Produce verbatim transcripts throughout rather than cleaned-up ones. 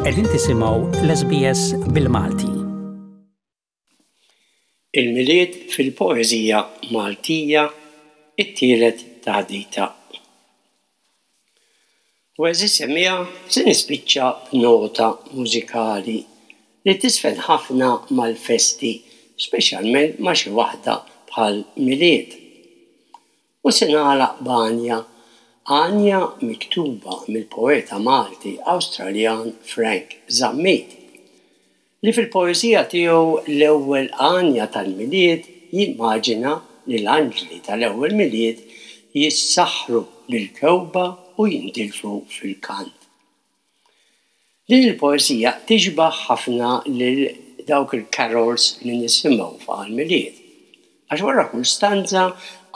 Qegħdin tisimgħu l-S B S bil-Malti. Il-Milied fil-poeżija Maltija, it-tielet taħdita. U, għeżież semmiegħa, se nispiċċa b'nota mużikali li tiżfen ħafna mal-festi, speċjalment ma' xi waħda bħal Milied. U se nagħlaq b'għanja, għanja miktuba mill-poeta Malti Awstraljan Frank Zammit, li fil-poeżija tiegħu L-Ewwel Għanja tal-Milied jimmaġina li l-anġli tal-ewwel Milied jissaħħru bil-kewba u jintilfu fil-kant. Din il-poeżija tixbaħ ħafna lil dawk il-carols li nisimgħu fuq il-Milied. Għax wara kull stanza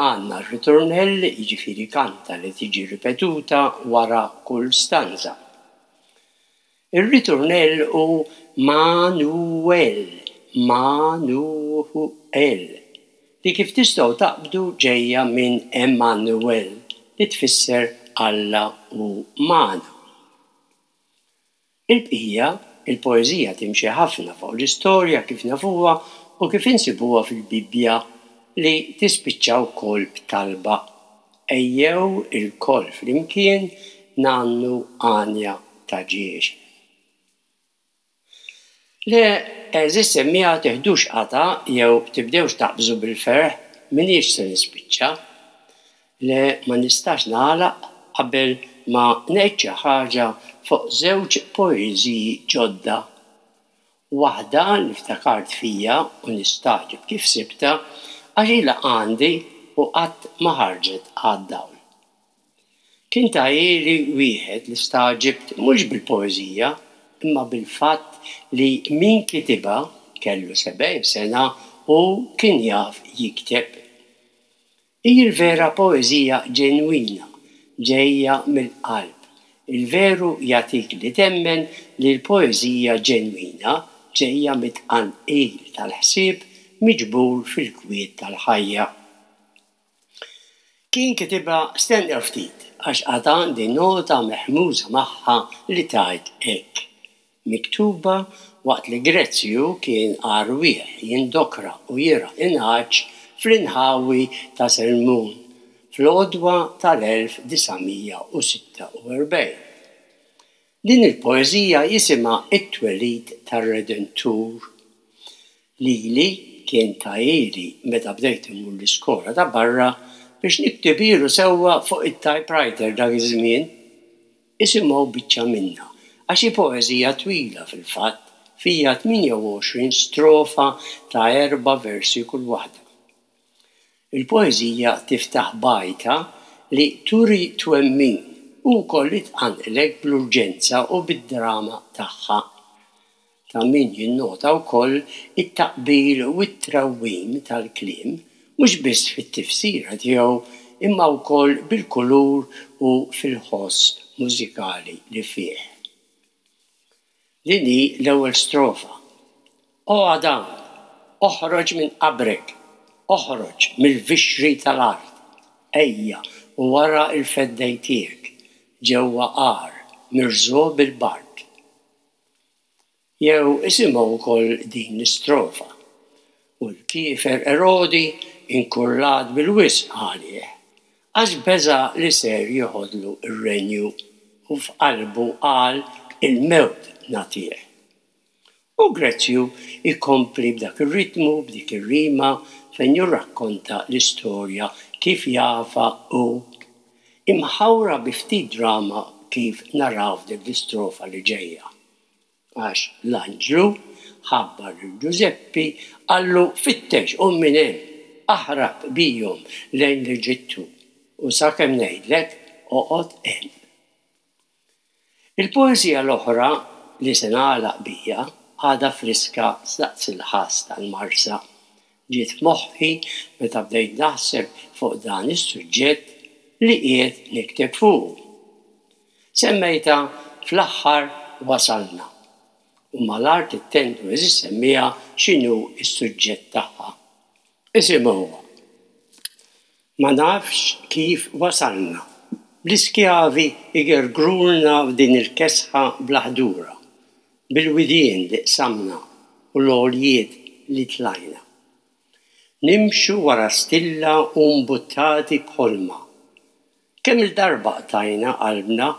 għandna r-ritornell, jiġifieri kanta li tiġi ripetuta wara kull stanza. Ir-ritornell hu Manuel, Manuel, li kif tistgħu taqbdu ġejja minn Emmanuel, li tfisser Alla hu magħna. Il-bqija, il-poeżija timxi ħafna fuq l-istorja kif nafuha u kif insibuha fil-Bibbja, li tispiċċa wkoll b'talba. Ejjew ilkoll flimkien ngħannu għanja ta' ġiex. Le, għeżież semmiegħa, teħdux qatgħa jew tibdewx taqbżu bil-ferħ, m'iniex se nispiċċa. Le, ma nistax nagħlaq qabel ma ngħid xi ħaġa fuq żewġ poeżiji ġodda. Waħda li ftakart fija u nistagħġeb kif sibta, għax ilha għandi u qatt ma ħarġet għad-dawl. Kien tahieli wieħed li stagħġibt mhux bil-poeżija imma bil-fatt li min kitibha kellu sebgħin sena u kien jaf jikteb. Hi l-vera poeżija ġenwina, ġejja mill-qalb. Il-veru jagħtik li temmen li l-poeżija ġenwina ġejja mit-tqanqil tal-ħsieb miġbur fil-kwiet tal-ħajja. Kien kitibha, stennew ftit, għax għad għandi nota mehmuża magħha li tgħid hekk: Miktuba waqt li Grezzju kien għarwieħ jindokra u jirgħa n-nagħaġ fl-inħawi ta' Selmun fl-għodwa tal-elf disa' mija u sitta u erbgħin. Din il-poeżija jisimha It-Twelid tar-Redentur. Lili kien tahieli meta bdejt immur l-iskola ta' barra biex niktibilu sewwa fuq it-typewriter dak iż-żmien. Isimgħu biċċa minnha, għax hi poeżija twila fil-fatt, fija tmienja u għoxrin strofa ta' erba' versi kull waħda. Il-poeżija tiftaħ b'għajta li turi twemmin u wkoll li tqanqlek bl-urġenza u bid-drama tagħha. Ta' min jinnota wkoll it-taqbil u t-trawwim tal-kliem, mhux biss fit-tifsira tiegħu imma wkoll bil-kulur u fil-ħoss mużikali li fih. Din hi l-ewwel strofa. O Adam, oħroġ minn qabrek, oħroġ mill-vixri tal-art, ejja u ara l-feddej tiegħek ġewwa għar mirżugħ bil-bard. Jew isimgħu wkoll din l-istrofa. U l-kiefer Erodi inkurlat bil-wisq għalih, għax beża' li ser joħodlu ir-renju u f'qalbu qal il-mewt nagħtih. U Grezzju ikompli b'dak ir-ritmu, b'dik ir-rima fejn jirrakkonta l-istorja kif jafha u imħawra bi ftit drama kif naraw f'dik l-istrofa li ġejja. Għax l-anġlu ħabbar lil Ġużeppi, qallu: fittex u minn hemm, aħrab bihom lejn l-Eġittu u sakemm ngħidlek oqgħod hemm. Il-poeżija l-oħra li se nagħlaq bija għadha friska daqs il-ħass tal-Marsa. Ġiet f'moħħi meta bdejt naħseb fuq dan is-suġġett li qiegħed nikteb fuq. Semmejta Fl-Aħħar Wasalna. U malajr tittendu, għeżież semmiegħa, x'inhu s-suġġett tagħha. Isimgħuha. Ma nafx kif wasalna. L-iskjavi igergrulna f'din il-kesħa bla ħdura. bil-widien li qsamna u l-għoljiet li tlajna. Nimxu wara stilla u mbuttati b'ħolma. Kemm-il darba qtajna qalbna,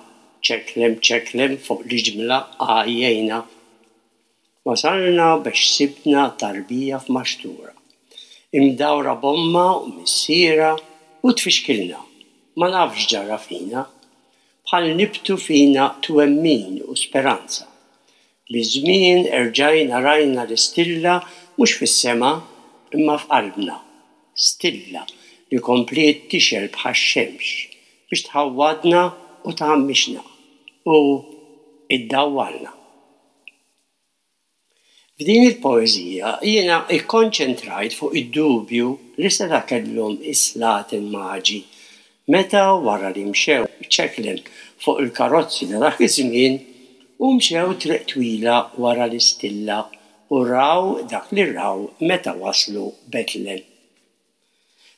ċeklem ċeklem fuq l-ġimla għajjejna. Wasalna biex sibna tarbija f'maxtura. Imdawra b'ommha u missierha u tfixkilna. Ma nafx ġara fina. Bħal nibtu fina twemmin u speranza. Biż-żmien erġajna rajna l-istilla mhux fis-sema imma f'qalbna. Stilla li kompliet tixgħel bħax-xemx biex tħawwadna u tgħammixna u iddawwalna. F'din il-poeżija jiena ikkonċentrajt fuq id-dubju li seta' kellhom is-slaten maġi meta wara li mxew ċeklem fuq il-karozzi ta' dak iż-żmien u mxew triq twila wara l-istilla u raw dak li raw meta waslu Betlem.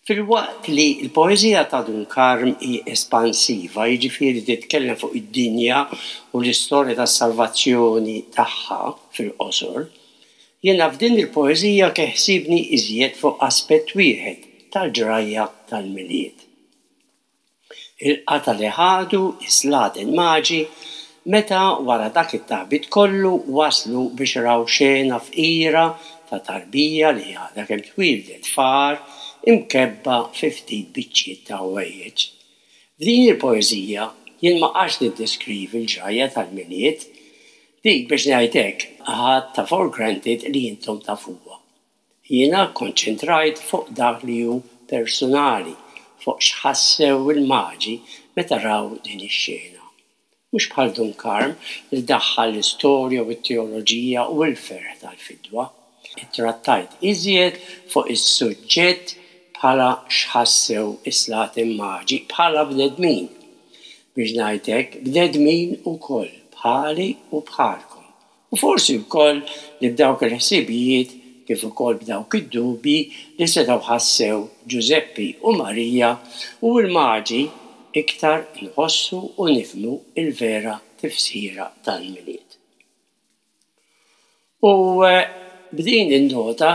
Filwaqt li l-poeżija ta' Dun Karm hi espansiva, jiġifieri titkellem fuq id-dinja u l-istorja tas-salvazzjoni tagħha fil-qosor, jiena f'din il-poeżija keħsibni iżjed fuq aspett wieħed tal-ġrajja tal-Milied. Il-qata li ħadu is-slaten maġi meta wara dak it-taħbit kollu waslu biex raw xena fqira ta' tarbija li għadha kemm twieldet f'għar imkebba fi ftit biċċiet ta' ħwejjeġ. F'din il-poeżija jien ma qgħadtx niddeskrivi l-ġrajja tal-Milied, dik biex ngħid hekk ħadtha for granted li intom tafuha. Jiena konċentrajt fuq dak li hu personali, fuq x'ħassew il-maġi meta raw din ix-xena. Mhux bħal Dun Karm li daħħal l-istorja u t-teoloġija u l-ferħ tal-fidwa. Ittrattajt iżjed fuq is-suġġett bħala x'ħassew is-slaten maġi bħala bnedmin. Biex ngħid hekk, bnedmin ukoll bħali u bħalkom. U forsi wkoll li b'dawk il-ħsibijiet kif ukoll b'dawk id-dubji li setgħu ħassew Ġużeppi u Marija u l-maġi iktar nħossu u nifhmu il-vera tifsira tal-Milied. U b'din in-nota,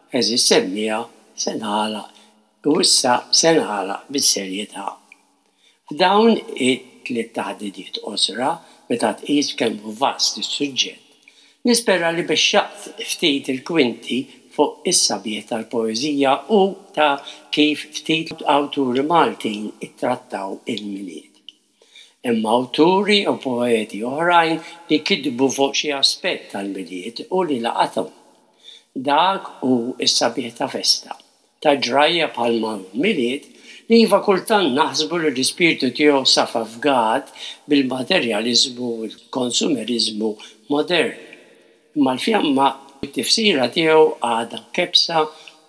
għeżież semmiegħa, se nagħlaq u issa se nagħlaq bis-serjetà. F'dawn it-tliet taħdidiet qosra, meta tqis kemm hu vast is-suġġett, nispera li bexxaqt ftit il-kwinti fuq is-sabiħ tal-poeżija u ta' kif ftit awturi Maltin ittrattaw il-Milied. Imma awturi u poeti oħrajn li kitbu fuq xi aspett tal-Milied u li laqathom. Dak hu s-sabiħ ta' festa, ta' ġrajja bħalma Milied li iva kultant naħsbu li l-ispirtu tiegħu safa fgat bil-materjaliżmu u l-konsumeriżmu modern. Imma l-fjamma t-tifsira tiegħu għadha mkebbsa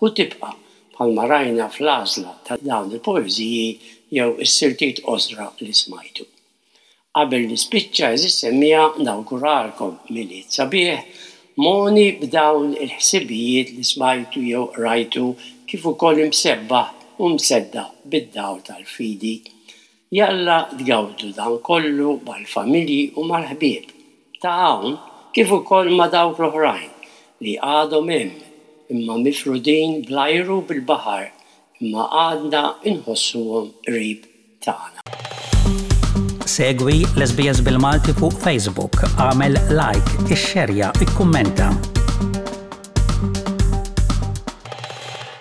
u tibqa' bħalma rajna fl-għażla ta' dawn il-poeżiji jew is-siltiet qosra li smajtu. Qabel nispiċċa, għeżież semmiegħa, nawguralkom Milied sabiħ, mogħni b'dawn il-ħsibijiet li smajtu jew rajtu kif ukoll imsebbaħ u mseddaq bid-dawl tal-fidi. Jalla tgawdu dan kollu mal-familji u mal-ħbieb ta' hawn kif ukoll ma' dawk l-oħrajn li għadhom hemm imma mifrudin bl-ajru bil-baħar imma għadna inħossuhom qrib tagħna. Segwi l-S B S bil-Malti fuq Facebook, għamel like, ixxerja, ikkummenta.